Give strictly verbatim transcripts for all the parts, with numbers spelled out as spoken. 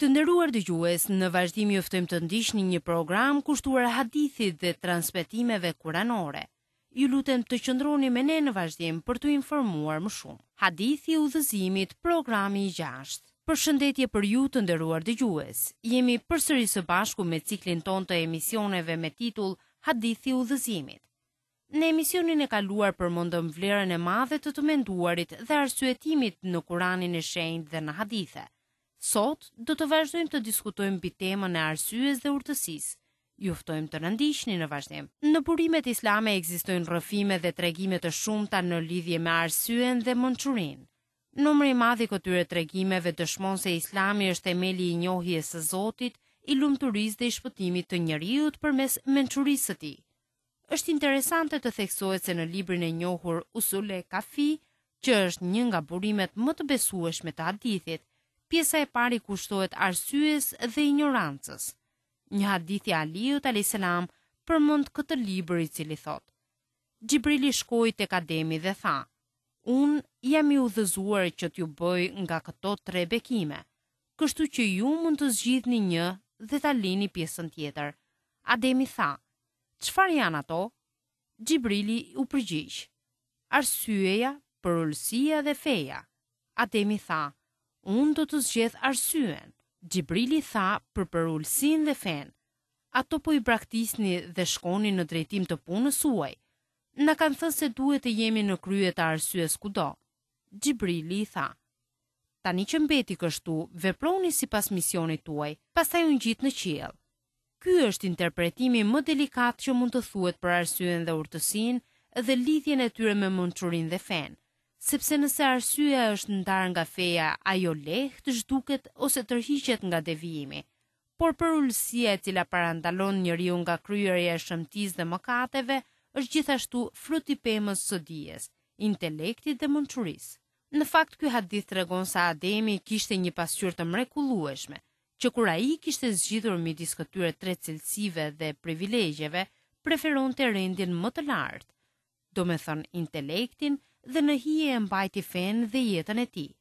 Të nderuar dëgjues, në vazhdim ju ftojmë të ndiqni një program kushtuar hadithit dhe transmetimeve kuranore. Ju lutem të qëndroni me ne në vazhdim për t'u informuar më shumë. Hadithi i udhëzimit, programi i gjashtë. Përshëndetje për ju të nderuar dëgjues. Jemi përsëri së bashku me ciklin tonë të emisioneve me titull Hadithi i udhëzimit. Në emisionin e kaluar përmendëm vlerën e madhe të të menduarit dhe arsyetimit në Kuranin e Shenjtë dhe në hadithe. Sot do të vazhdojmë të diskutojmë mbi temën e arsyes dhe urtësisë. Ju ftojmë të na ndiqni në vazhdim. Në burimet islame ekzistojnë rrëfime dhe tregime të shumta në lidhje me arsyen dhe mençurinë. Numri i madh i këtyre tregimeve dëshmon se Islami është themeli i njohjes së Zotit, i lumturisë dhe i shpëtimit të njeriut përmes mençurisë së tij. Është interesante të theksohet se në librin e njohur Usul e Kafi, që është një nga burimet më të besueshme të hadithit, pjesa e parë i kushtohet arsyes dhe injorancës. Një hadith i Aliut alayhis salam përmend këtë libër i cili thotë: Xhibrili shkoi tek Ademi dhe tha: Unë jam i udhëzuar që t'ju bëj nga këto tre bekime, kështu që ju mund të zgjidhni një dhe ta lini pjesën tjetër. Ademi tha: Çfarë janë ato? Xhibrili u përgjigj: Arsyeja, përulësia dhe feja. Ademi tha: Unë do të zgjedh arsyen. Xhibrili tha për përulësinë dhe fenë: Ato po i braktisni dhe shkoni në drejtim të punës suaj. Na kanë thënë se duhet të jemi në krye të arsyes kudo. Xhibrili i tha: Tani që mbeti kështu, veproni sipas misionit tuaj. Pastaj u ngjit në qiell. Ky është interpretimi më delikat që mund të thuhet për arsyen dhe urtësinë dhe lidhjen e tyre me mençurinë dhe fenë, sepse nëse arsyeja është ndarë nga feja, ajo lehtë zhduket ose tërhiqet nga devijimi. Por përulësia e cila parandalon njeriu nga kryerja e shëmtisë dhe mëkateve është gjithashtu frut i pemës së dijes, intelektit dhe mençurisë. Në fakt, ky hadith tregon se Ademi kishte një pasqyrë të mrekullueshme, që kur ai kishte zgjidhur midis këtyre tre cilësive dhe privilegjeve, preferonte rendin më të lartë, domethënë intelektin, dhe në hije e mbajti fenë dhe jetën e tij.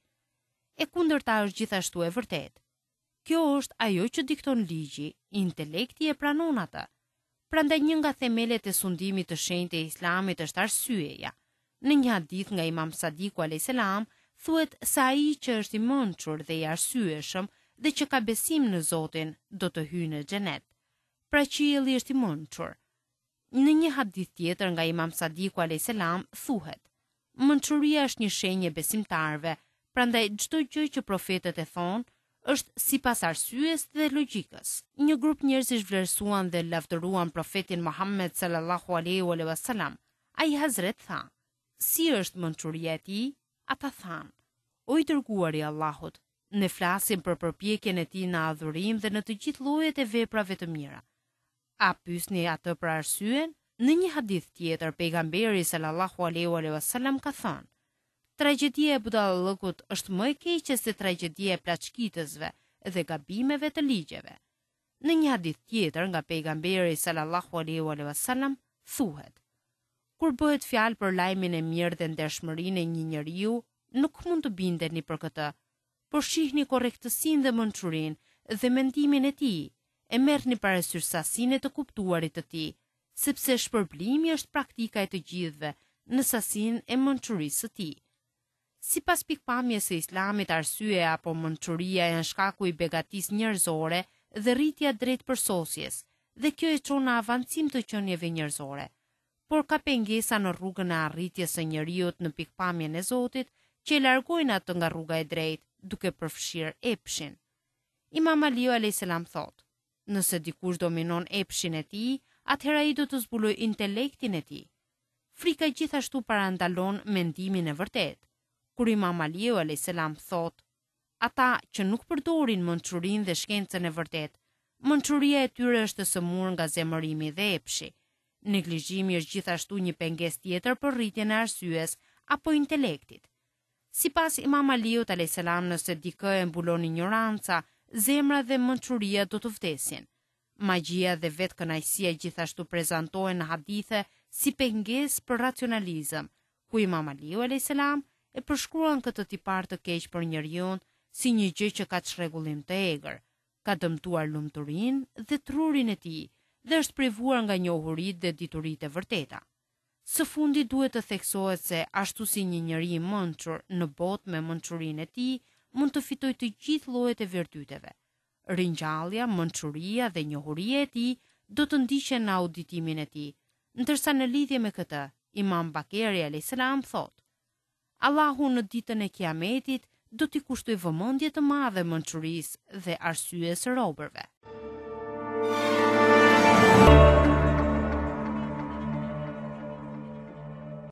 E kundërta është gjithashtu e vërtetë. Kjo është ajo që dikton ligji, intelekti e pranon atë. Prandaj një nga themelet e sundimit të shenjtë të Islamit është arsyeja. Në një hadith nga Imam Sadiku alayhis salam thuhet se ai që është i mençur dhe i arsyeshëm dhe që ka besim në Zotin do të hyjë në xhenet. Pra qielli është i mençur. Në një hadith tjetër nga Imam Sadiku alayhis salam thuhet: Mençuria është një shenjë e besimtarëve, prandaj çdo gjë që profetët e thonë është sipas arsyes dhe logjikës. Një grup njerëzish vlerësuan dhe lavdëruan profetin Muhammed sallallahu alaihi wasallam. Ai Hazret tha: Si është mençuria e tij? Ata thanë: O i dërguari i Allahut, ne flasim për përpjekjen e tij në adhurim dhe në të gjithë llojet e veprave të mira. A pyesni atë për arsyen? Në një hadith tjetër, pejgamberi sallallahu alaihi wasallam ka thënë: Tragjedia e budallëkut është më e keqe se tragjedia e plaçkitësve dhe gabimeve të ligjeve. Në një hadith tjetër nga pejgamberi sallallahu alaihi wasallam thuhet: Kur bëhet fjalë për lajmin e mirë dhe ndershmërinë e një njeriu, nuk mund të bindeni për këtë, por shihni korrektësinë dhe mençurinë dhe mendimin e tij, e merrni parasysh sasinë e të kuptuarit të tij, sepse shpërblimi është praktika e të gjithëve në sasinë e mençurisë së tij. Sipas pikpamjes së Islamit, arsyeja apo mençuria janë shkaku i begatisë njerëzore dhe rritja drejt përsosjes, dhe kjo e çon në avancim të qenieve njerëzore. Por ka pengesa në rrugën e arritjes së njeriut në pikpamjen e Zotit që e largojnë atë nga rruga e drejtë, duke përfshirë epshin. Imam Aliu alayhis salam thotë: Nëse dikush dominon epshin e tij, atëherë ai do të zbulojë intelektin e tij. Frika gjithashtu parandalon mendimin e vërtetë. Kur Imam Aliu alayhis salam thotë: Ata që nuk përdorin mençurinë dhe shkencën e vërtetë, mençuria e tyre është e sëmurë nga zemërimi dhe epshi. Neglizhimi është gjithashtu një pengesë tjetër për rritjen e arsyes apo intelektit. Sipas Imam Aliut alayhis salam, nëse dikë e mbulon ignoranca, zemra dhe mençuria do të vdesin. Magjia dhe vetëkënaqësia gjithashtu prezantohen në hadithe si pengesë për racionalizëm, ku Imam Aliu alayhis salam e përshkruan këtë tipar të keq për njeriu si një gjë që ka çrregullim të egër. Ka dëmtuar lumturinë dhe trurin e tij dhe është privuar nga njohuritë dhe dituritë e vërteta. Së fundi duhet të theksohet se ashtu si një njeri i mençur në botë me mençurinë e tij mund të fitojë të gjithë llojet e virtyteve. Ringjallja, mençuria dhe njohuria e tij do të ndiqen në auditimin e tij, ndërsa në lidhje me këtë, Imam Bakeri alayhis salam thotë: Allahu në ditën e Kiametit do t'i kushtojë vëmendje të madhe mençurisë dhe arsyes së robërve.